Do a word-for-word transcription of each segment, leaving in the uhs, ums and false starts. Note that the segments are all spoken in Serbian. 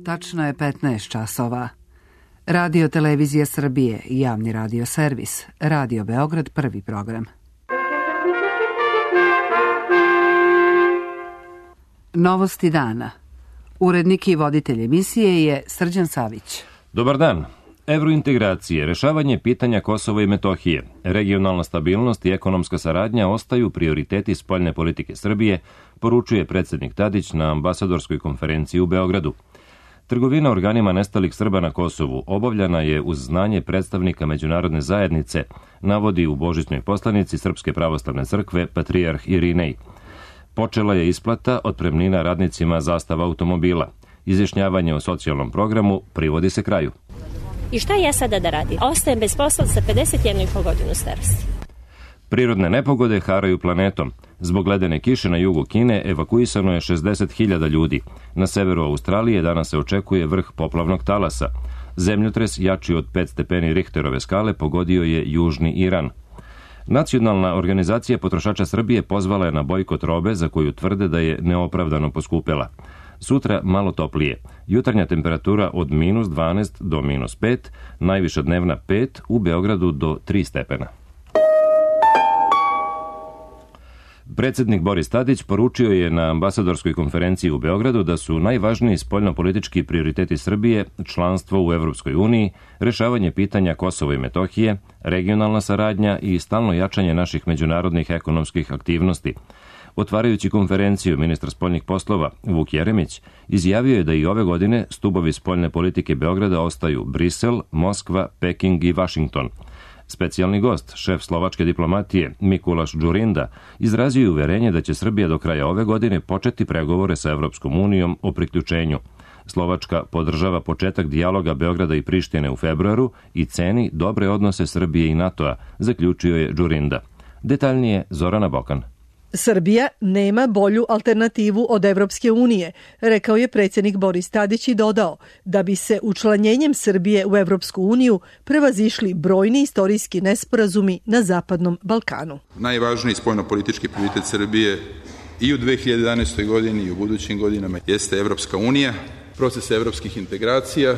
Tačno je petnaest časova. Radio Televizija Srbije, javni radio servis, Radio Beograd, prvi program. Novosti dana. Urednik i voditelj emisije je Srđan Savić. Dobar dan. Evrointegracije, rešavanje pitanja Kosova i Metohije, regionalna stabilnost i ekonomska saradnja ostaju prioriteti spoljne politike Srbije, poručuje predsjednik Tadić na ambasadorskoj konferenciji u Beogradu. Trgovina organima nestalih Srba na Kosovu obavljana je uz znanje predstavnika međunarodne zajednice, navodi u božićnoj poslanici Srpske pravoslavne crkve patrijarh Irinej. Počela je isplata otpremnina radnicima Zastava automobila. Izjašnjavanje o socijalnom programu privodi se kraju. I šta ja sada da radim? Ostajem bez posla sa pedeset jednu i po godinu starosti. Prirodne nepogode haraju planetom. Zbog ledene kiše na jugu Kine evakuisano je šezdeset hiljada ljudi. Na severu Australije danas se očekuje vrh poplavnog talasa. Zemljotres jači od pet stepeni Richterove skale pogodio je južni Iran. Nacionalna organizacija potrošača Srbije pozvala je na bojkot robe za koju tvrde da je neopravdano poskupela. Sutra malo toplije. Jutarnja temperatura od minus dvanaest do minus pet, najviša dnevna pet, u Beogradu do tri stepena. Predsjednik Boris Tadić poručio je na ambasadorskoj konferenciji u Beogradu da su najvažniji spoljnopolitički prioriteti Srbije članstvo u Evropskoj uniji, rešavanje pitanja Kosova i Metohije, regionalna saradnja i stalno jačanje naših međunarodnih ekonomskih aktivnosti. Otvarajući konferenciju, ministar spoljnih poslova Vuk Jeremić izjavio je da i ove godine stubovi spoljne politike Beograda ostaju Brisel, Moskva, Peking i Vašington. Specijalni gost, šef slovačke diplomatije Mikulaš Džurinda, izrazio je uverenje da će Srbija do kraja ove godine početi pregovore sa Evropskom unijom o priključenju. Slovačka podržava početak dijaloga Beograda i Prištine u februaru i ceni dobre odnose Srbije i NATO-a, zaključio je Džurinda. Detaljnije Zorana Bokan. Srbija nema bolju alternativu od Evropske unije, rekao je predsjednik Boris Tadić i dodao da bi se učlanjenjem Srbije u Evropsku uniju prevazišli brojni istorijski nesporazumi na Zapadnom Balkanu. Najvažniji spoljnopolitički prioritet Srbije i u dve hiljade jedanaestoj godini i u budućim godinama jeste Evropska unija, proces evropskih integracija,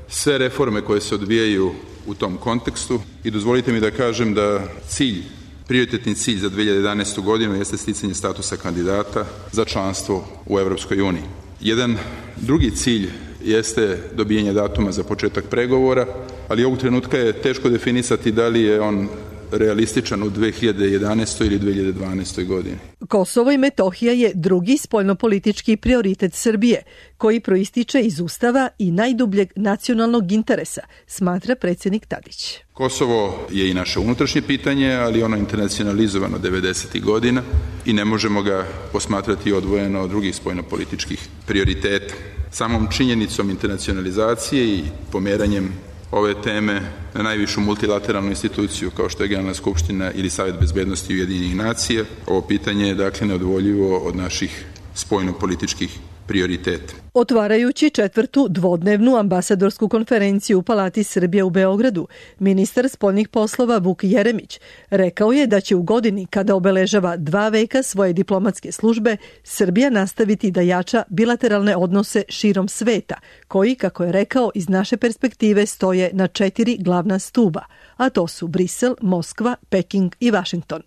sve reforme koje se odvijaju u tom kontekstu i dozvolite mi da kažem da cilj Prioritetni cilj za dve hiljade jedanaestu godinu jeste sticanje statusa kandidata za članstvo u Evropskoj uniji. Jedan drugi cilj jeste dobijanje datuma za početak pregovora, ali ovog trenutka je teško definisati da li je on realističan u dve hiljade jedanaestoj ili dve hiljade dvanaestoj godini. Kosovo i Metohija je drugi spoljnopolitički prioritet Srbije, koji proističe iz Ustava i najdubljeg nacionalnog interesa, smatra predsjednik Tadić. Kosovo je i naše unutrašnje pitanje, ali ono je internacionalizovano devedesetih godina i ne možemo ga posmatrati odvojeno od drugih spoljnopolitičkih prioriteta. Samom činjenicom internacionalizacije i pomeranjem ove teme na najvišu multilateralnu instituciju kao što je Generalna skupština ili Savet bezbednosti Ujedinjenih nacija, ovo pitanje je dakle neodvoljivo od naših spoljnopolitičkih prioriteta. Otvarajući četvrtu dvodnevnu ambasadorsku konferenciju u Palati Srbije u Beogradu, ministar spoljnih poslova Vuk Jeremić rekao je da će u godini kada obeležava dva veka svoje diplomatske službe, Srbija nastaviti da jača bilateralne odnose širom sveta, koji, kako je rekao, iz naše perspektive stoje na četiri glavna stuba, a to su Brisel, Moskva, Peking i Vašington.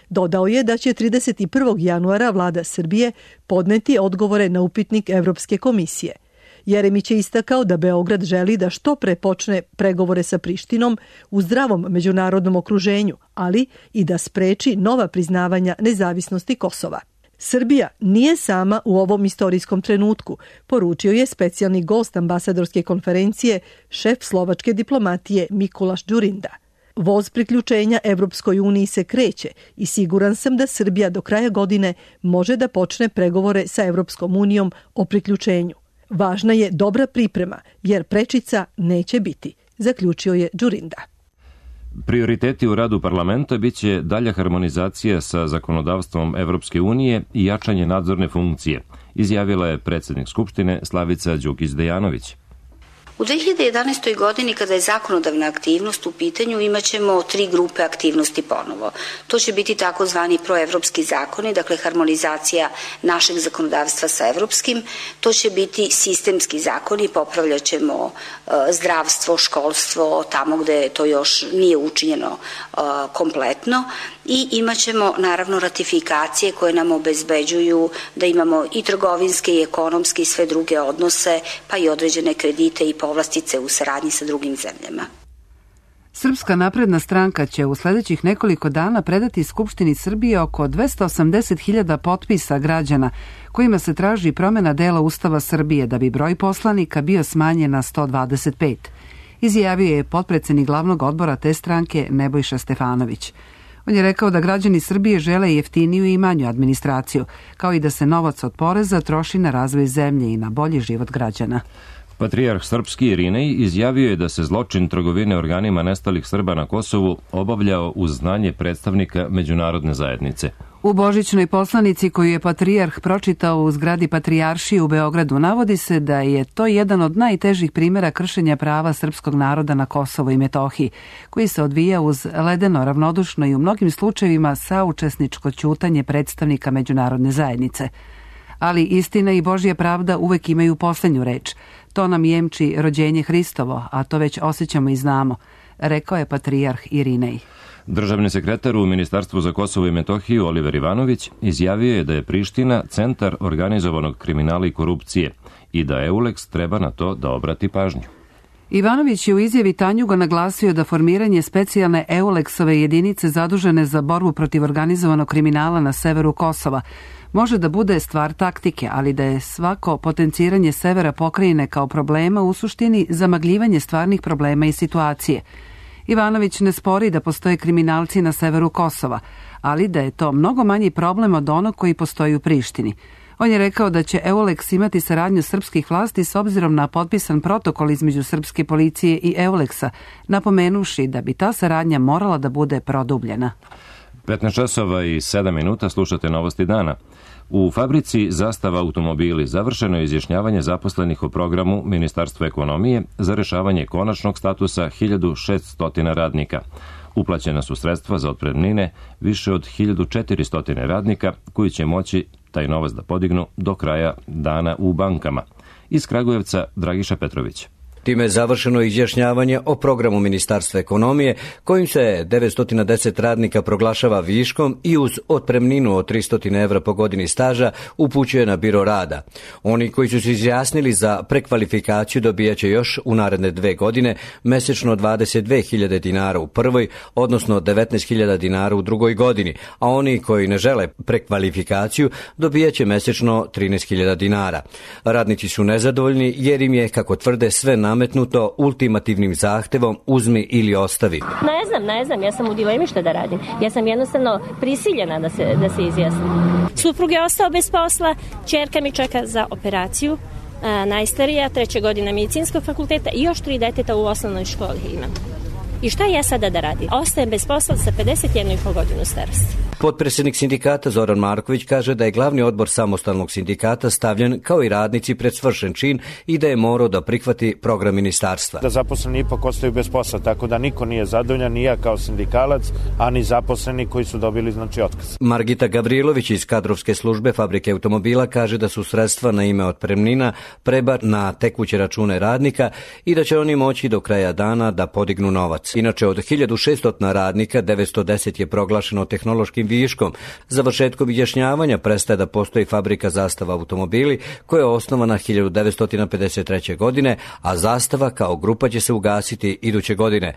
Dodao je da će trideset prvog januara vlada Srbije podneti odgovore na upitnik Evropske komisije. Jeremić je istakao da Beograd želi da što pre počne pregovore sa Prištinom u zdravom međunarodnom okruženju, ali i da spreči nova priznavanja nezavisnosti Kosova. Srbija nije sama u ovom istorijskom trenutku, poručio je specijalni gost ambasadorske konferencije, šef slovačke diplomatije Mikulaš Džurinda. Voz priključenja Evropskoj uniji se kreće i siguran sam da Srbija do kraja godine može da počne pregovore sa Evropskom unijom o priključenju. Važna je dobra priprema, jer prečica neće biti, zaključio je Džurinda. Prioriteti u radu parlamenta biće dalja harmonizacija sa zakonodavstvom Evropske unije i jačanje nadzorne funkcije, izjavila je predsjednik Skupštine Slavica Đukić Dejanović. U dve hiljade jedanaestoj. godini, kada je zakonodavna aktivnost u pitanju, imat ćemo tri grupe aktivnosti ponovo. To će biti takozvani proevropski zakoni, dakle harmonizacija našeg zakonodavstva sa evropskim. To će biti sistemski zakoni, popravljat ćemo zdravstvo, školstvo, tamo gde to još nije učinjeno kompletno. I imat ćemo naravno ratifikacije koje nam obezbeđuju da imamo i trgovinske i ekonomske i sve druge odnose, pa i određene kredite i povlastice u saradnji sa drugim zemljama. Srpska napredna stranka će u sledećih nekoliko dana predati Skupštini Srbije oko dvesta osamdeset hiljada potpisa građana kojima se traži promena dela Ustava Srbije da bi broj poslanika bio smanjen na sto dvadeset pet. Izjavio je potpredsednik glavnog odbora te stranke Nebojša Stefanović. On je rekao da građani Srbije žele jeftiniju i manju administraciju, kao i da se novac od poreza troši na razvoj zemlje i na bolji život građana. Patrijarh srpski Irinej izjavio je da se zločin trgovine organima nestalih Srba na Kosovu obavljao uz znanje predstavnika međunarodne zajednice. U božićnoj poslanici koju je patrijarh pročitao u zgradi Patrijaršije u Beogradu navodi se da je to jedan od najtežih primjera kršenja prava srpskog naroda na Kosovo i Metohiji, koji se odvija uz ledeno, ravnodušno i u mnogim slučajevima saučesničko ćutanje predstavnika međunarodne zajednice. Ali istina i Božja pravda uvek imaju posljednju reč. To nam jemči rođenje Hristovo, a to već osjećamo i znamo, rekao je patrijarh Irinej. Državni sekretar u Ministarstvu za Kosovo i Metohiju Oliver Ivanović izjavio je da je Priština centar organizovanog kriminala i korupcije i da Euleks treba na to da obrati pažnju. Ivanović je u izjavi Tanjuga naglasio da formiranje specijalne Euleksove jedinice zadužene za borbu protiv organizovanog kriminala na severu Kosova može da bude stvar taktike, ali da je svako potenciranje severa pokrajine kao problema u suštini zamagljivanje stvarnih problema i situacije. Ivanović ne spori da postoje kriminalci na severu Kosova, ali da je to mnogo manji problem od onog koji postoji u Prištini. On je rekao da će Euleks imati saradnju srpskih vlasti s obzirom na potpisan protokol između srpske policije i Euleksa, napomenuši da bi ta saradnja morala da bude produbljena. petnaest časova i sedam minuta slušate Novosti dana. U fabrici Zastava automobili završeno je izjašnjavanje zaposlenih o programu Ministarstva ekonomije za rešavanje konačnog statusa hiljadu šeststo radnika. Uplaćena su sredstva za otpremnine više od hiljadu četiristo radnika koji će moći taj novac da podignu do kraja dana u bankama. Iz Kragujevca Dragiša Petrović. Time je završeno izjašnjavanje o programu Ministarstva ekonomije kojim se devetsto deset radnika proglašava viškom i uz otpremninu od tristo evra po godini staža upućuje na biro rada. Oni koji su se izjasnili za prekvalifikaciju dobijaće još u naredne dve godine mesečno dvadeset dve hiljade dinara u prvoj, odnosno devetnaest hiljada dinara u drugoj godini, a oni koji ne žele prekvalifikaciju dobijaće mesečno trinaest hiljada dinara. Radnici su nezadovoljni jer im je, kako tvrde, sve na nametnuto ultimativnim zahtevom uzmi ili ostavi. Ne znam, ne znam, ja sam u dilemi šta da radim. Ja sam jednostavno prisiljena da se, da se izjasnim. Suprug je ostao bez posla, ćerka mi čeka za operaciju, a, najstarija, treća godina medicinskog fakulteta i još tri deteta u osnovnoj školi imam. I šta ja sada da radim? Ostajem bez posla sa pedeset jednu i po godinu starosti. Potpredsjednik sindikata Zoran Marković kaže da je glavni odbor samostalnog sindikata stavljen kao i radnici pred svršen čin i da je morao da prihvati program ministarstva. Da zaposleni ipak ostaju bez posla, tako da niko nije zadovoljan, ni ja kao sindikalac, a ni zaposleni koji su dobili znači otkaz. Margita Gavrilović iz kadrovske službe fabrike automobila kaže da su sredstva na ime otpremnina prebačena na tekuće račune radnika i da će oni moći do kraja dana da podignu novac. Inače, od hiljadu šeststo radnika devetsto deset je proglašeno tehnološkim viškom. Završetkom izjašnjavanja prestaje da postoji fabrika Zastava automobili koja je osnovana hiljadu devetsto pedeset treće. godine, a Zastava kao grupa će se ugasiti iduće godine.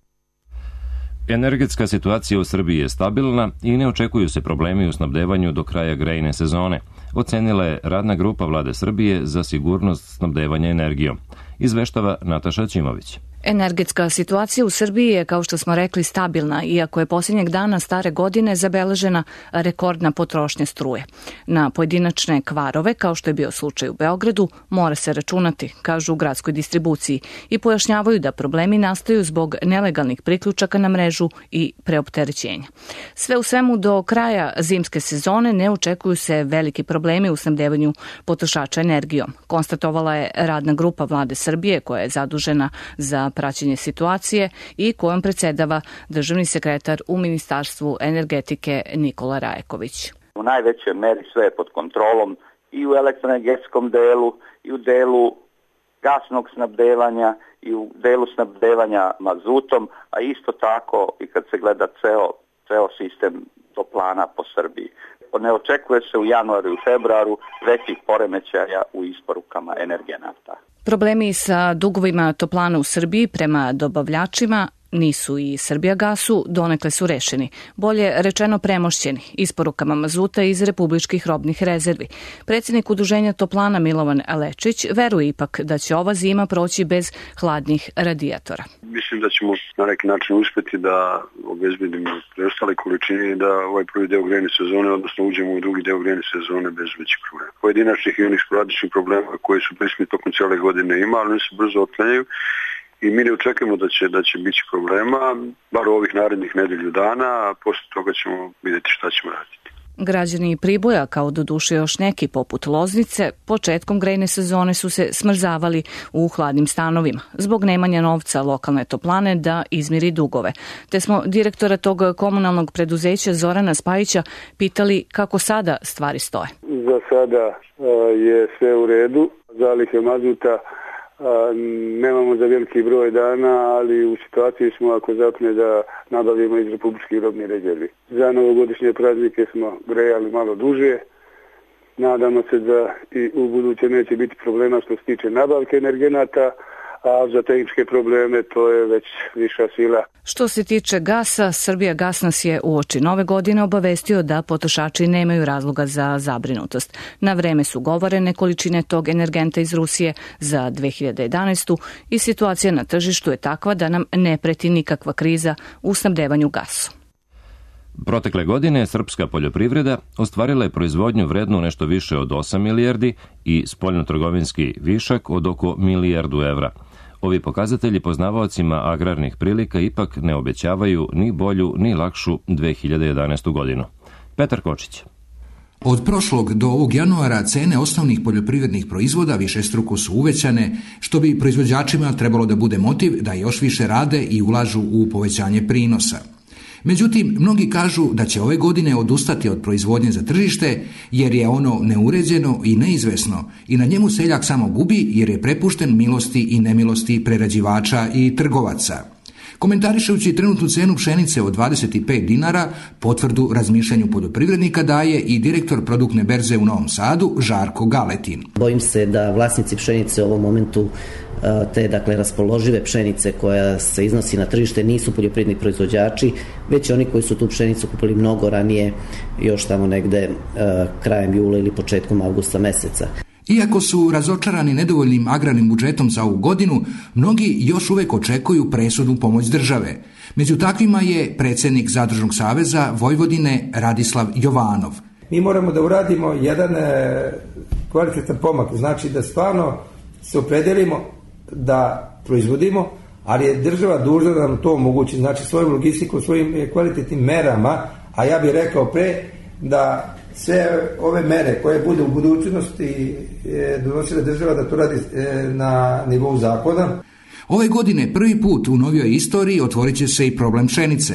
Energetska situacija u Srbiji je stabilna i ne očekuju se problemi u snabdevanju do kraja grejne sezone, ocenila je radna grupa Vlade Srbije za sigurnost snabdevanja energijom. Izveštava Nataša Ćimović. Energetska situacija u Srbiji je, kao što smo rekli, stabilna, iako je posljednjeg dana stare godine zabeležena rekordna potrošnja struje. Na pojedinačne kvarove, kao što je bio slučaj u Beogradu, mora se računati, kažu u gradskoj distribuciji, i pojašnjavaju da problemi nastaju zbog nelegalnih priključaka na mrežu i preopterećenja. Sve u svemu, do kraja zimske sezone ne očekuju se veliki problemi u snabdevanju potrošača energijom, konstatovala je radna grupa Vlade Srbije koja je zadužena za praćenje situacije i kojom predsedava državni sekretar u Ministarstvu energetike Nikola Rajeković. U najvećoj meri sve je pod kontrolom i u elektroenergetskom delu i u delu gasnog snabdevanja i u delu snabdevanja mazutom, a isto tako i kad se gleda ceo, ceo sistem toplana po Srbiji. Ne očekuje se u januaru i februaru većih poremećaja u isporukama energenata. Problemi sa dugovima toplana u Srbiji prema dobavljačima nisu i Srbijagasu, donekle su rešeni, bolje rečeno premošćeni, isporukama mazuta iz republičkih robnih rezervi. Predsjednik Udruženja toplana Milovan Alečić veruje ipak da će ova zima proći bez hladnih radijatora. Mislim da ćemo na neki način uspjeti da obezbedimo preostale količine i da ovaj prvi deo grejne sezone, odnosno uđemo u drugi deo grejne sezone bez većih problema. Pojedinačnih i onih sporadičnih problema koji su prisutni tokom cijele godine ima, ali oni se brzo otklanjaju. I mi ne očekujemo da će, da će biti problema, bar ovih narednih nedelju dana, a posle toga ćemo vidjeti šta ćemo raditi. Građani Priboja, kao doduše još neki poput Loznice, početkom grejne sezone su se smrzavali u hladnim stanovima, zbog nemanja novca lokalne toplane da izmiri dugove. Te smo direktora tog komunalnog preduzeća Zorana Spajića pitali kako sada stvari stoje. Za sada je sve u redu, zalihe mazuta nemamo za veliki broj dana, ali u situaciji smo ako zapne da nabavimo iz republičkih robnih rezervi. Za novogodišnje praznike smo grejali malo duže. Nadamo se da i u buduće neće biti problema što se tiče nabavke energenata, a za tehničke probleme to je već viša sila. Što se tiče gasa, Srbijagas nas je uoči nove godine obavestio da potrošači nemaju razloga za zabrinutost. Na vreme su govorene količine tog energenta iz Rusije za dve hiljade jedanaestu i situacija na tržištu je takva da nam ne preti nikakva kriza u snabdevanju gasom. Protekle godine srpska poljoprivreda ostvarila je proizvodnju vrednu nešto više od osam milijardi i spoljnotrgovinski višak od oko milijardu evra. Ovi pokazatelji poznavaocima agrarnih prilika ipak ne obećavaju ni bolju ni lakšu dve hiljade jedanaestu godinu. Petar Kočić. Od prošlog do ovog januara cene osnovnih poljoprivrednih proizvoda višestruko su uvećane, što bi proizvođačima trebalo da bude motiv da još više rade i ulažu u povećanje prinosa. Međutim, mnogi kažu da će ove godine odustati od proizvodnje za tržište jer je ono neuređeno i neizvesno i na njemu seljak samo gubi jer je prepušten milosti i nemilosti prerađivača i trgovaca. Komentarišući trenutnu cenu pšenice od dvadeset pet dinara, potvrdu razmišljanju poljoprivrednika daje i direktor produktne berze u Novom Sadu, Žarko Galetin. Bojim se da vlasnici pšenice u ovom momentu te dakle raspoložive pšenice koja se iznosi na tržište nisu poljoprivredni proizvođači, već oni koji su tu pšenicu kupili mnogo ranije, još tamo negde krajem jula ili početkom avgusta meseca. Iako su razočarani nedovoljnim agrarnim budžetom za ovu godinu, mnogi još uvek očekuju presudnu pomoć države. Među takvima je predsjednik Zadružnog saveza Vojvodine Radislav Jovanov. Mi moramo da uradimo jedan kvalitetan pomak, znači da stvarno se opredelimo da proizvodimo, ali je država dužna da nam to omogući, znači svojom logistikom, svojim kvalitetnim merama, a ja bih rekao pre da sve ove mere koje bude u budućnosti donosila država da to radi na nivou zakona. Ove godine prvi put u novijoj istoriji otvorit će se i problem pšenice.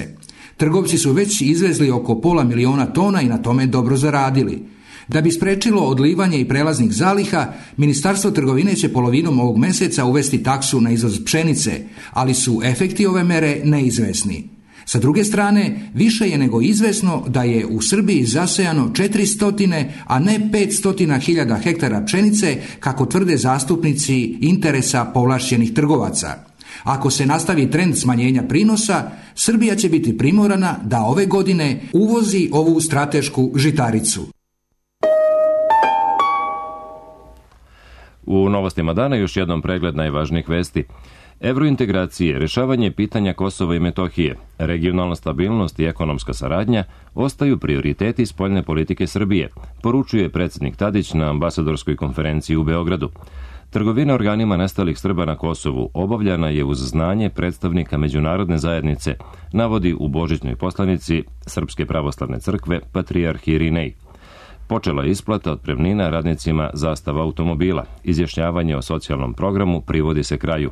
Trgovci su već izvezli oko pola miliona tona i na tome dobro zaradili. Da bi sprečilo odlivanje i prelaznih zaliha, Ministarstvo trgovine će polovinom ovog meseca uvesti taksu na izvoz pšenice, ali su efekti ove mere neizvesni. Sa druge strane, više je nego izvesno da je u Srbiji zasejano četiristo, a ne petsto hiljada hektara pšenice, kako tvrde zastupnici interesa povlašćenih trgovaca. Ako se nastavi trend smanjenja prinosa, Srbija će biti primorana da ove godine uvozi ovu stratešku žitaricu. U novostima dana još jednom pregled najvažnijih vesti. Evrointegracije, rešavanje pitanja Kosova i Metohije, regionalna stabilnost i ekonomska saradnja ostaju prioriteti spoljne politike Srbije, poručuje predsjednik Tadić na ambasadorskoj konferenciji u Beogradu. Trgovina organima nestalih Srba na Kosovu obavljana je uz znanje predstavnika međunarodne zajednice, navodi u božićnoj poslanici Srpske pravoslavne crkve patrijarh Irinej. Počela je isplata otpremnina radnicima Zastava automobila. Izjašnjavanje o socijalnom programu privodi se kraju.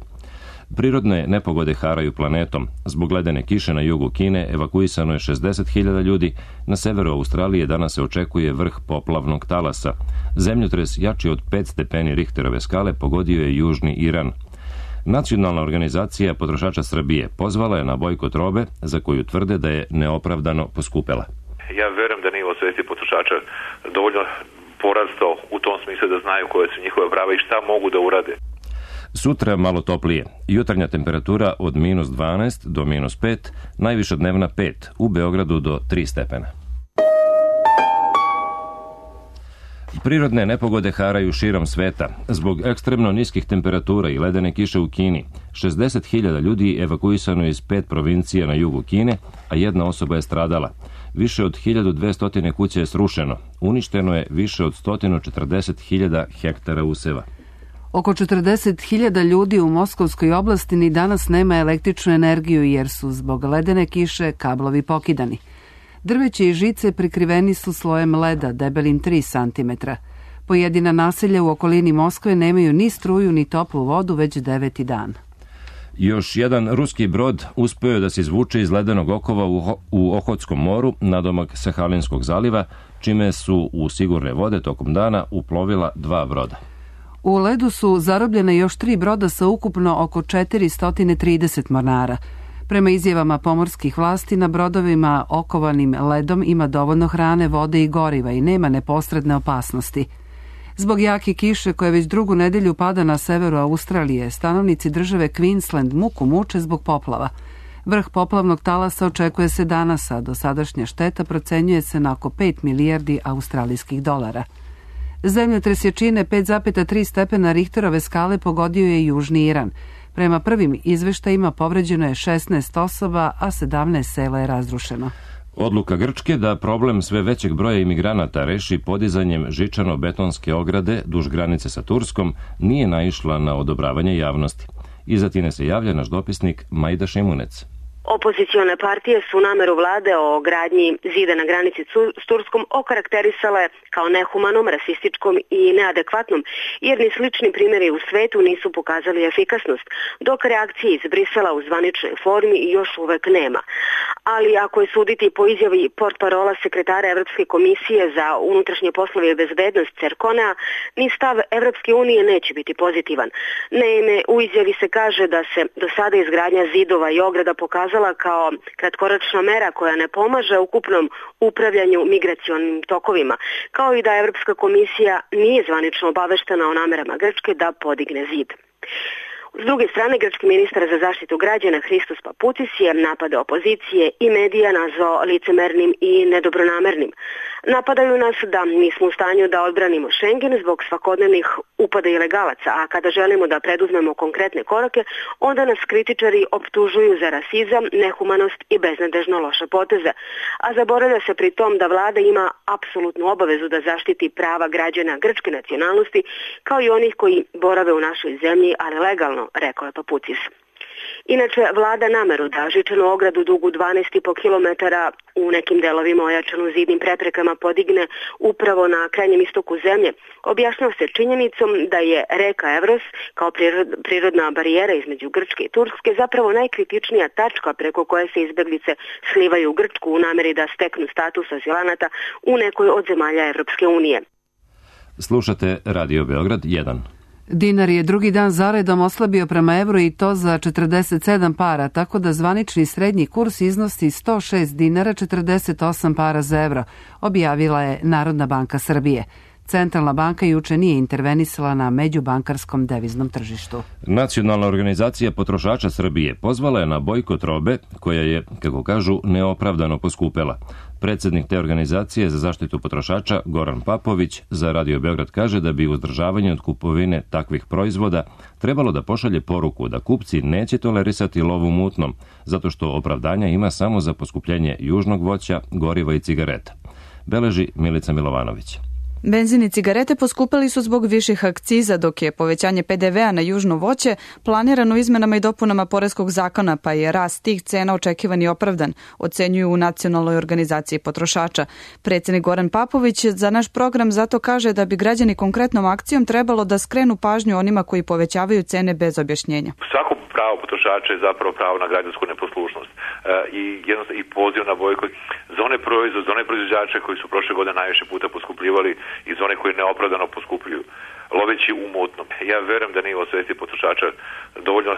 Prirodne nepogode haraju planetom. Zbog ledene kiše na jugu Kine evakuisano je šezdeset hiljada ljudi, na severu Australije danas se očekuje vrh poplavnog talasa. Zemljotres jači od pet stepeni Richterove skale pogodio je južni Iran. Nacionalna organizacija potrošača Srbije pozvala je na bojkot robe za koju tvrde da je neopravdano poskupela. Ja verujem da nivo svesti potrošača dovoljno porastao u tom smislu da znaju koje su njihove prava i šta mogu da urade. Sutra malo toplije. Jutarnja temperatura od minus dvanaest do minus pet, najviša dnevna pet, u Beogradu do tri stepena. Prirodne nepogode haraju širom sveta. Zbog ekstremno niskih temperatura i ledene kiše u Kini, šezdeset hiljada ljudi evakuisano iz pet provincija na jugu Kine, a jedna osoba je stradala. Više od hiljadu dvesta kuća je srušeno. Uništeno je više od sto četrdeset hiljada hektara useva. Oko četrdeset hiljada ljudi u Moskovskoj oblasti ni danas nema električnu energiju jer su zbog ledene kiše kablovi pokidani. Drveće i žice prikriveni su slojem leda debelim tri centimetra. Pojedina naselja u okolini Moskve nemaju ni struju ni toplu vodu već deveti dan. Još jedan ruski brod uspeo je da se izvuče iz ledenog okova u Ohotskom moru nadomak Sahalinskog zaliva, čime su u sigurne vode tokom dana uplovila dva broda. U ledu su zarobljene još tri broda sa ukupno oko četiristo trideset mornara. Prema izjavama pomorskih vlasti, na brodovima okovanim ledom ima dovoljno hrane, vode i goriva i nema neposredne opasnosti. Zbog jake kiše koja već drugu nedelju pada na severu Australije, stanovnici države Queensland muku muče zbog poplava. Vrh poplavnog talasa očekuje se danas, a dosadašnja šteta procenjuje se na oko pet milijardi australijskih dolara. Zemljotres jačine pet zarez tri stepena Richterove skale pogodio je južni Iran. Prema prvim izveštajima povređeno je šesnaest osoba, a sedamnaest sela je razrušeno. Odluka Grčke da problem sve većeg broja imigranata reši podizanjem žičano-betonske ograde duž granice sa Turskom nije naišla na odobravanje javnosti. Iz Atine se javlja naš dopisnik Majda Šimunec. Opozicione partije su nameru vlade o gradnji zida na granici s Turskom okarakterisale kao nehumanom, rasističkom i neadekvatnom, jer ni slični primjeri u svetu nisu pokazali efikasnost, dok reakcije iz Brisela u zvaničnoj formi još uvek nema. Ali ako je suditi po izjavi portparola sekretara Evropske komisije za unutrašnje poslove i bezbednost Cerkonea, ni stav Evropske unije neće biti pozitivan. Naime, u izjavi se kaže da se do sada izgradnja zidova i ograda pokazala kao kratkoročna mera koja ne pomaže ukupnom upravljanju migracionim tokovima, kao i da Evropska komisija nije zvanično obaveštena o namerama Grčke da podigne zid. S druge strane, grčki ministar za zaštitu građana Hristos Paputis je napade opozicije i medija nazvao licemernim i nedobronamernim. Napadaju nas da nismo u stanju da odbranimo Schengen zbog svakodnevnih upada ilegalaca, a kada želimo da preduzmemo konkretne korake, onda nas kritičari optužuju za rasizam, nehumanost i beznadežno loše poteze. A zaboravlja se pri tom da vlada ima apsolutnu obavezu da zaštiti prava građana grčke nacionalnosti, kao i onih koji borave u našoj zemlji, ali legalno, rekao je Paputis. Inače, vlada nameru da žičanu ogradu dugu dvanaest i po kilometara u nekim delovima ojačanu zidnim preprekama podigne upravo na krajnjem istoku zemlje, objašnjava se činjenicom da je reka Evros kao prirodna barijera između Grčke i Turske zapravo najkritičnija tačka preko koje se izbeglice slivaju u Grčku u nameri da steknu status azilanata u nekoj od zemalja Evropske unije. Slušate Radio Beograd jedan. Dinar je drugi dan zaredom oslabio prema evru i to za četrdeset sedam para, tako da zvanični srednji kurs iznosi sto šest dinara četrdeset osam para za evro, objavila je Narodna banka Srbije. Centralna banka juče nije intervenisala na međubankarskom deviznom tržištu. Nacionalna organizacija potrošača Srbije pozvala je na bojkot robe koja je, kako kažu, neopravdano poskupela. Predsednik te organizacije za zaštitu potrošača Goran Papović za Radio Beograd kaže da bi uzdržavanje od kupovine takvih proizvoda trebalo da pošalje poruku da kupci neće tolerisati lov u mutnom, zato što opravdanja ima samo za poskupljenje južnog voća, goriva i cigareta. Beleži Milica Milovanović. Benzin i cigarete poskupili su zbog viših akciza, dok je povećanje pe de vea na južno voće planirano izmenama i dopunama poreskog zakona, pa je rast tih cena očekivan i opravdan, ocenjuju u Nacionalnoj organizaciji potrošača. Predsednik Goran Papović za naš program zato kaže da bi građani konkretnom akcijom trebalo da skrenu pažnju onima koji povećavaju cene bez objašnjenja. Svako pravo potrošača je zapravo pravo na građansku neposlušnost i jednostavno i poziv na bojkot za one proizvode, za one proizvođače koji su prošle godine najviše puta poskupljivali i za one koji neopravdano poskupljuju, loveći u mutnom. Ja verujem da nivo svesti potrošača dovoljno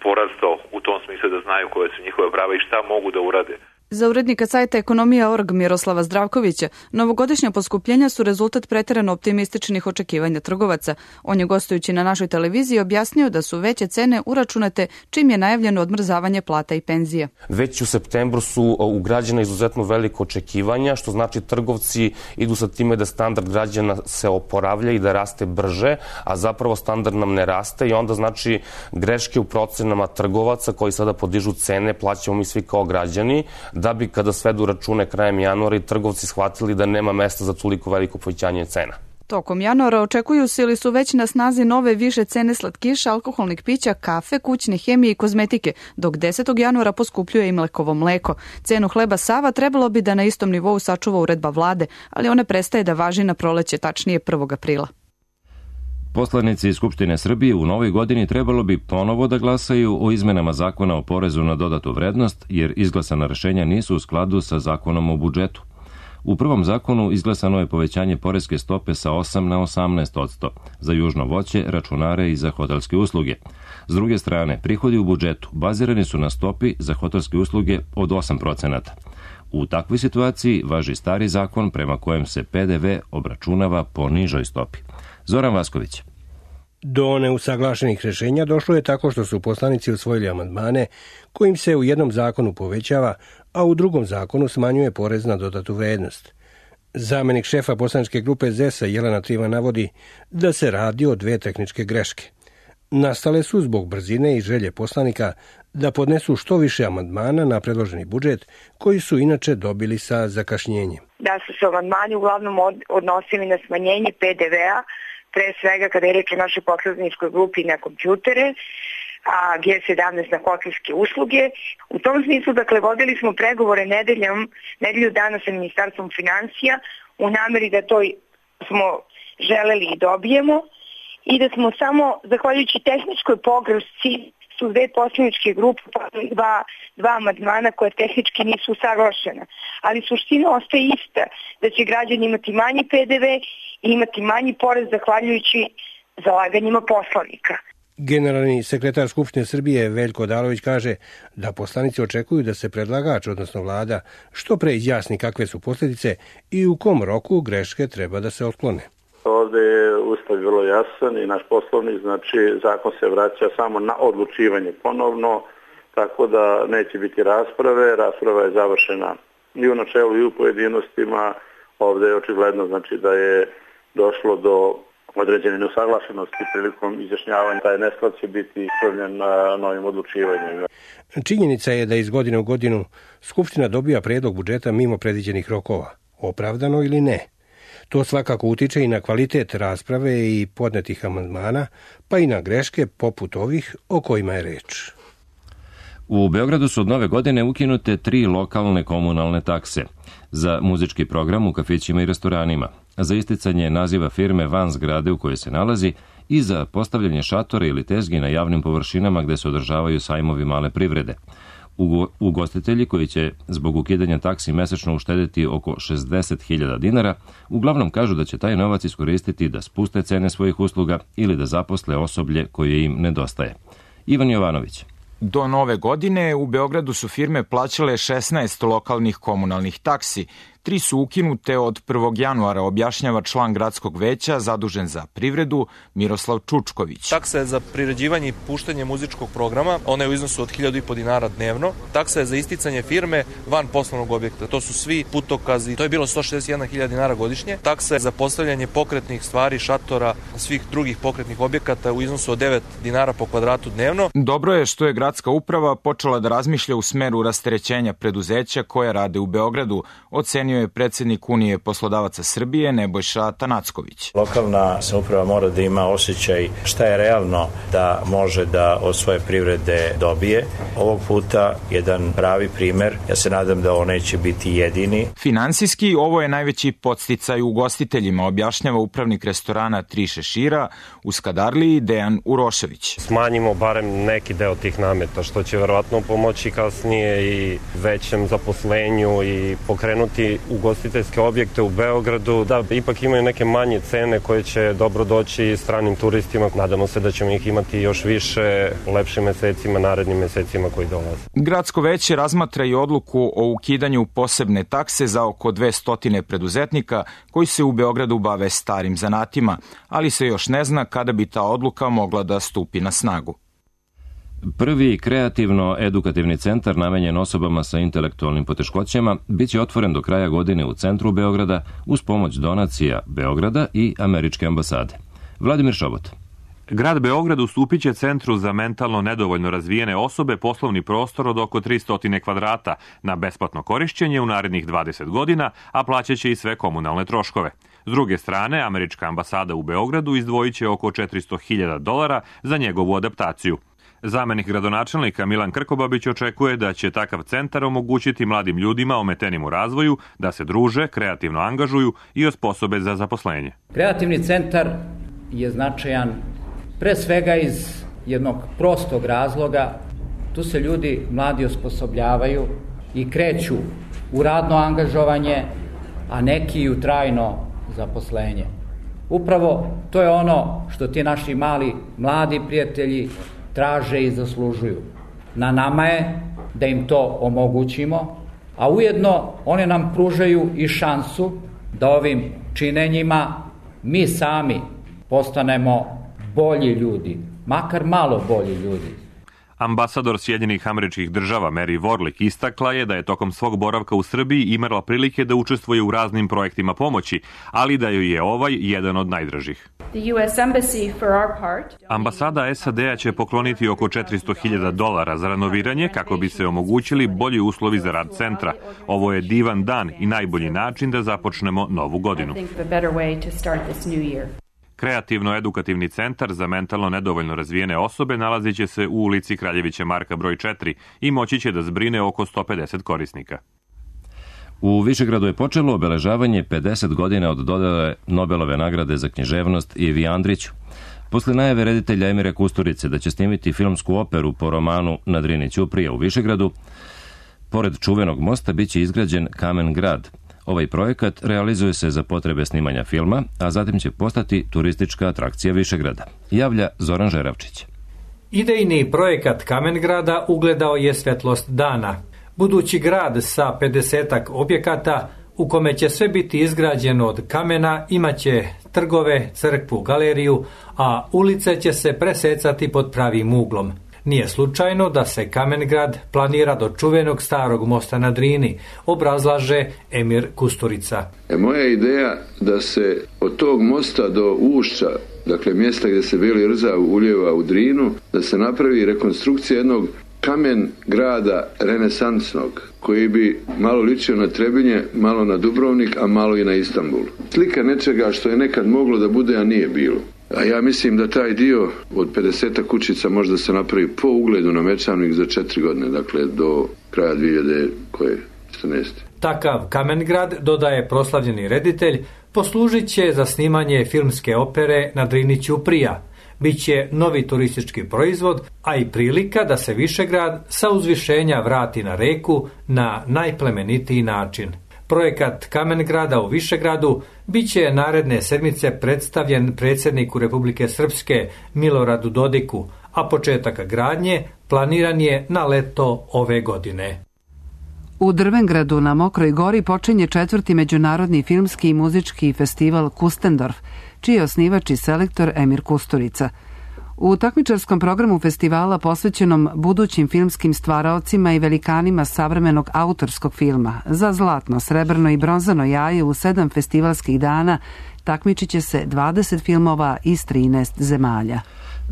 porastao u tom smislu da znaju koje su njihove prava i šta mogu da urade. Za urednika sajta ekonomija točka org Miroslava Zdravkovića, novogodišnja poskupljenja su rezultat preterano optimističnih očekivanja trgovaca. On je gostujući na našoj televiziji objasnio da su veće cene uračunate čim je najavljeno odmrzavanje plata i penzija. Već u septembru su ugrađena izuzetno veliko očekivanja, što znači trgovci idu sa time da standard građana se oporavlja i da raste brže, a zapravo standard nam ne raste i onda znači greške u procenama trgovaca koji sada podižu cene, plaćamo mi svi kao građani, da bi kada svedu račune krajem januara i trgovci shvatili da nema mesta za toliko veliko povećanje cena. Tokom januara očekuju se ili su već na snazi nove više cene slatkiša, alkoholnih pića, kafe, kućne hemije i kozmetike, dok desetog januara poskupljuje i mlekovo mleko. Cenu hleba Sava trebalo bi da na istom nivou sačuva uredba vlade, ali ona prestaje da važi na proleće, tačnije prvog aprila. Poslanici Skupštine Srbije u novoj godini trebalo bi ponovo da glasaju o izmenama zakona o porezu na dodatu vrednost, jer izglasana rešenja nisu u skladu sa zakonom o budžetu. U prvom zakonu izglasano je povećanje poreske stope sa osam na osamnaest posto za južno voće, računare i za hotelske usluge. S druge strane, prihodi u budžetu bazirani su na stopi za hotelske usluge od osam procenata. U takvoj situaciji važi stari zakon prema kojem se pe de ve obračunava po nižoj stopi. Zoran Vasković. Do neusaglašenih rešenja došlo je tako što su poslanici usvojili amandmane kojim se u jednom zakonu povećava, a u drugom zakonu smanjuje porez na dodatu vrednost. Zamenik šefa poslaničke grupe zet a Jelena Trivan navodi da se radi o dve tehničke greške. Nastale su zbog brzine i želje poslanika da podnesu što više amandmana na predloženi budžet, koji su inače dobili sa zakašnjenjem. Da su se amandmani uglavnom odnosili na smanjenje pe de vea, pre svega kada je reč o našoj poslaničkoj grupi na kompjutere, a ge sedamnaest na hotelske usluge. U tom smislu, dakle, vodili smo pregovore nedeljom, nedelju dana sa Ministarstvom financija u nameri da to smo želeli i dobijemo i da smo samo, zahvaljujući tehničkoj pogrešci, su dve poslaničke grupe dva, dva amandmana koje tehnički nisu usaglašena. Ali suština ostaje ista, da će građani imati manji pe de ve i imati manji porez zahvaljujući zalaganjima poslanika. Generalni sekretar Skupštine Srbije Veljko Odalović kaže da poslanici očekuju da se predlagač, odnosno vlada, što pre izjasni kakve su posljedice i u kom roku greške treba da se otklone. Ovde je Ustav vrlo jasan i naš poslovnik, znači zakon se vraća samo na odlučivanje ponovno, tako da neće biti rasprave. Rasprava je završena i u načelu i u pojedinostima. Ovde je očigledno znači da je došlo do određene neusaglašenosti prilikom izjašnjavanja. Taj nesklad će biti ispravljen na novim odlučivanjima. Činjenica je da iz godine u godinu Skupština dobija predlog budžeta mimo predviđenih rokova, opravdano ili ne. To svakako utiče i na kvalitet rasprave i podnetih amandmana, pa i na greške poput ovih o kojima je reč. U Beogradu su od nove godine ukinute tri lokalne komunalne takse za muzički program u kafićima i restoranima, za isticanje naziva firme van zgrade u kojoj se nalazi i za postavljanje šatora ili tezgi na javnim površinama gde se održavaju sajmovi male privrede. Ugostitelji koji će zbog ukidanja taksi mesečno uštedeti oko šezdeset hiljada dinara, uglavnom kažu da će taj novac iskoristiti da spuste cene svojih usluga ili da zaposle osoblje koje im nedostaje. Ivan Jovanović. Do nove godine u Beogradu su firme plaćale šesnaest lokalnih komunalnih taksi, tri su ukinute od prvog januara, objašnjava član gradskog veća zadužen za privredu Miroslav Čučković. Taksa je za priređivanje i puštanje muzičkog programa, ona je u iznosu od hiljadu i po dinara dnevno. Taksa je za isticanje firme van poslovnog objekta, to su svi putokazi, to je bilo sto šezdeset jedna hiljada dinara godišnje. Taksa je za postavljanje pokretnih stvari, šatora, svih drugih pokretnih objekata u iznosu od devet dinara po kvadratu dnevno. Dobro je što je gradska uprava počela da razmišlja u smeru rasterećenja preduzeća koja rade u Beogradu, ocenio je predsednik Unije poslodavaca Srbije Nebojša Tanacković. Lokalna samouprava mora da ima osjećaj šta je realno da može da od svoje privrede dobije. Ovog puta jedan pravi primer, ja se nadam da ovo neće biti jedini. Finansijski ovo je najveći podsticaj ugostiteljima, objašnjava upravnik restorana Tri šešira u Skadarliji Dejan Urošević. Smanjimo barem neki deo tih nameta, što će verovatno pomoći kasnije i većem zaposlenju i pokrenuti ugostiteljske objekte u Beogradu, da ipak imaju neke manje cene koje će dobro doći stranim turistima. Nadamo se da ćemo ih imati još više lepšim mesecima, narednim mesecima koji dolaze. Gradsko veće razmatra i odluku o ukidanju posebne takse za oko dvesta preduzetnika koji se u Beogradu bave starim zanatima, ali se još ne zna kada bi ta odluka mogla da stupi na snagu. Prvi kreativno-edukativni centar namenjen osobama sa intelektualnim poteškoćama biće otvoren do kraja godine u centru Beograda uz pomoć donacija Beograda i američke ambasade. Vladimir Šobot. Grad Beograd ustupit će Centru za mentalno nedovoljno razvijene osobe poslovni prostor od oko tristo kvadrata na besplatno korišćenje u narednih dvadeset godina, a plaćaće i sve komunalne troškove. S druge strane, američka ambasada u Beogradu izdvojit će oko četiristo hiljada dolara za njegovu adaptaciju. Zamenik gradonačelnika Milan Krkobabić očekuje da će takav centar omogućiti mladim ljudima ometenim u razvoju da se druže, kreativno angažuju i osposobe za zaposlenje. Kreativni centar je značajan pre svega iz jednog prostog razloga. Tu se ljudi mladi osposobljavaju i kreću u radno angažovanje, a neki i u trajno zaposlenje. Upravo to je ono što ti naši mali mladi prijatelji traže i zaslužuju. Na nama je da im to omogućimo, a ujedno one nam pružaju i šansu da ovim činenjima mi sami postanemo bolji ljudi, makar malo bolji ljudi. Ambasador Sjedinjenih Američkih Država Mary Warlick istakla je da je tokom svog boravka u Srbiji imala prilike da učestvuje u raznim projektima pomoći, ali da joj je ovaj jedan od najdražih. Ambasada S A D-a će pokloniti oko četiristo hiljada dolara za renoviranje kako bi se omogućili bolji uslovi za rad centra. Ovo je divan dan i najbolji način da započnemo novu godinu. Kreativno-edukativni centar za mentalno nedovoljno razvijene osobe nalazit će se u ulici Kraljevića Marka broj četiri i moći će da zbrine oko sto pedeset korisnika. U Višegradu je počelo obeležavanje pedeset godina od dodele Nobelove nagrade za književnost Ivi Andriću. Posle najave reditelja Emira Kusturice da će snimiti filmsku operu po romanu Na Drini Ćuprija u Višegradu, pored čuvenog mosta biće izgrađen Kamen grad. Ovaj projekat realizuje se za potrebe snimanja filma, a zatim će postati turistička atrakcija Višegrada. Javlja Zoran Žeravčić. Idejni projekat Kamen grada ugledao je svetlost dana. Budući grad sa pedesetak objekata u kome će sve biti izgrađeno od kamena imaće trgove, crkvu, galeriju, a ulice će se presecati pod pravim uglom. Nije slučajno da se Kamengrad planira do čuvenog starog mosta na Drini, obrazlaže Emir Kusturica. E, moja ideja da se od tog mosta do ušća, dakle mjesta gdje se Beli Rza ulijeva u Drinu, da se napravi rekonstrukcija jednog kamen grada renesansnog, koji bi malo ličio na Trebinje, malo na Dubrovnik, a malo i na Istanbul. Slika nečega što je nekad moglo da bude, a nije bilo. A ja mislim da taj dio od pedeset kućica možda se napravi po ugledu na Mečanik za četiri godine, dakle do kraja dvije hiljade četrnaeste. Takav Kamengrad, dodaje proslavljeni reditelj, poslužit će za snimanje filmske opere Na Drini Ćuprija. Biće novi turistički proizvod, a i prilika da se Višegrad sa uzvišenja vrati na reku na najplemenitiji način. Projekat Kamengrada u Višegradu biće naredne sedmice predstavljen predsjedniku Republike Srpske Miloradu Dodiku, a početak gradnje planiran je na leto ove godine. U Drvengradu na Mokroj gori počinje četvrti međunarodni filmski i muzički festival Kustendorf, čiji je osnivač i selektor Emir Kusturica. U takmičarskom programu festivala posvećenom budućim filmskim stvaraocima i velikanima savremenog autorskog filma za zlatno, srebrno i bronzano jaje u sedam festivalskih dana takmičit će se dvadeset filmova iz trinaest zemalja.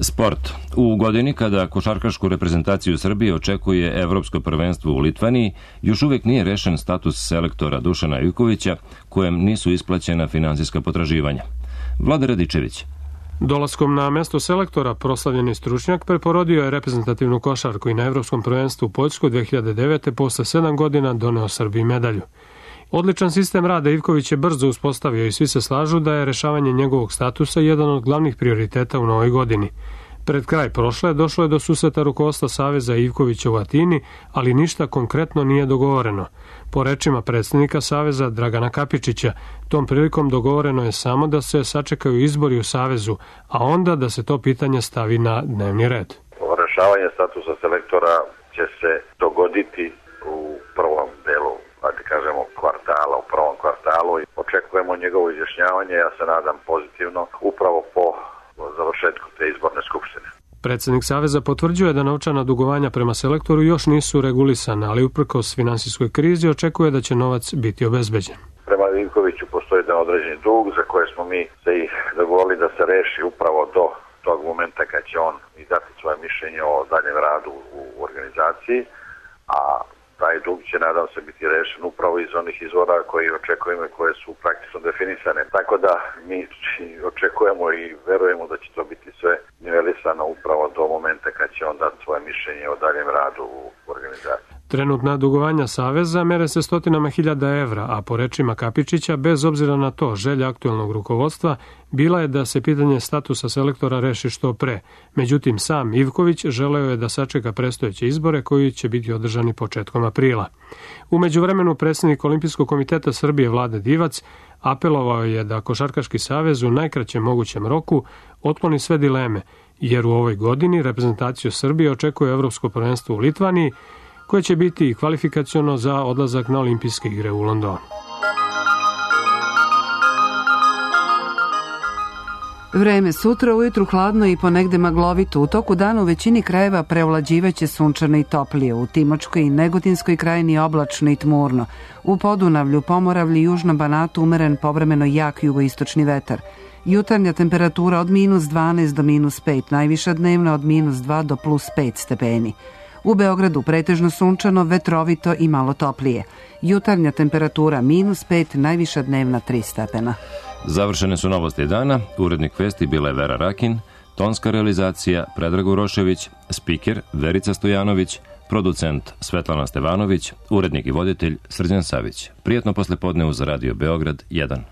Sport. U godini kada košarkašku reprezentaciju Srbije očekuje Evropsko prvenstvo u Litvaniji, još uvijek nije rešen status selektora Dušana Ivkovića, kojem nisu isplaćena finansijska potraživanja. Vlada Radičević. Dolaskom na mesto selektora proslavljeni stručnjak preporodio je reprezentativnu košarku i na Evropskom prvenstvu u Poljskoj dve hiljade devete. posle sedam godina doneo Srbiji medalju. Odličan sistem rada Ivković je brzo uspostavio i svi se slažu da je rešavanje njegovog statusa jedan od glavnih prioriteta u novoj godini. Pred kraj prošle došlo je do susreta rukovodstva Saveza Ivkovića u Atini, ali ništa konkretno nije dogovoreno. Po rečima predsednika Saveza Dragana Kapičića, tom prilikom dogovoreno je samo da se sačekaju izbori u Savezu, a onda da se to pitanje stavi na dnevni red. Rešavanje statusa selektora će se dogoditi u prvom delu, da kažemo, kvartala, u prvom kvartalu i očekujemo njegovo izjašnjavanje, ja se nadam pozitivno, upravo po završetku te izborne skupštine. Predsednik Saveza potvrđuje da novčana dugovanja prema selektoru još nisu regulisana, ali uprkos finansijskoj krizi očekuje da će novac biti obezbeđen. Prema Ivkoviću postoji jedan određeni dug za koje smo mi se ih dogovorili da se reši upravo do tog momenta kad će on i dati svoje mišljenje o daljem radu u organizaciji, a taj dug će, nadam se, biti rešen upravo iz onih izvora koji očekujemo i koje su praktično definisane. Tako da mi očekujemo i verujemo da će to biti sve nivelisano upravo do momenta kad će on dati svoje mišljenje o daljem radu u organizaciji. Trenutna dugovanja Saveza mere se stotinama hiljada evra, a po rečima Kapičića, bez obzira na to, želja aktuelnog rukovodstva bila je da se pitanje statusa selektora reši što pre. Međutim, sam Ivković želeo je da sačeka predstojeće izbore koji će biti održani početkom aprila. U međuvremenu predsjednik Olimpijskog komiteta Srbije Vlade Divac apelovao je da Košarkaški savez u najkraćem mogućem roku otkloni sve dileme, jer u ovoj godini reprezentaciju Srbije očekuje Evropsko prvenstvo u Litvaniji, koje će biti kvalifikaciono za odlazak na olimpijske igre u Londonu. Vreme sutra ujutru hladno i ponegde maglovito. U toku dana u većini krajeva preovlađivaće sunčano i toplije. U Timočkoj i Negotinskoj krajini oblačno i tmurno. U Podunavlju, Pomoravlju i Južnom Banatu umeren povremeno jak jugoistočni vetar. Jutarnja temperatura od minus dvanaest do minus pet, najviša dnevna od minus dva do plus pet stepeni. U Beogradu pretežno sunčano, vetrovito i malo toplije. Jutarnja temperatura minus pet, najviša dnevna tri stepena. Završene su novosti dana. Urednik vesti bila je Vera Rakin, tonska realizacija Predrag Urošević, spiker Verica Stojanović, producent Svetlana Stevanović, urednik i voditelj Srđan Savić. Prijatno poslepodne uz Radio Beograd jedan.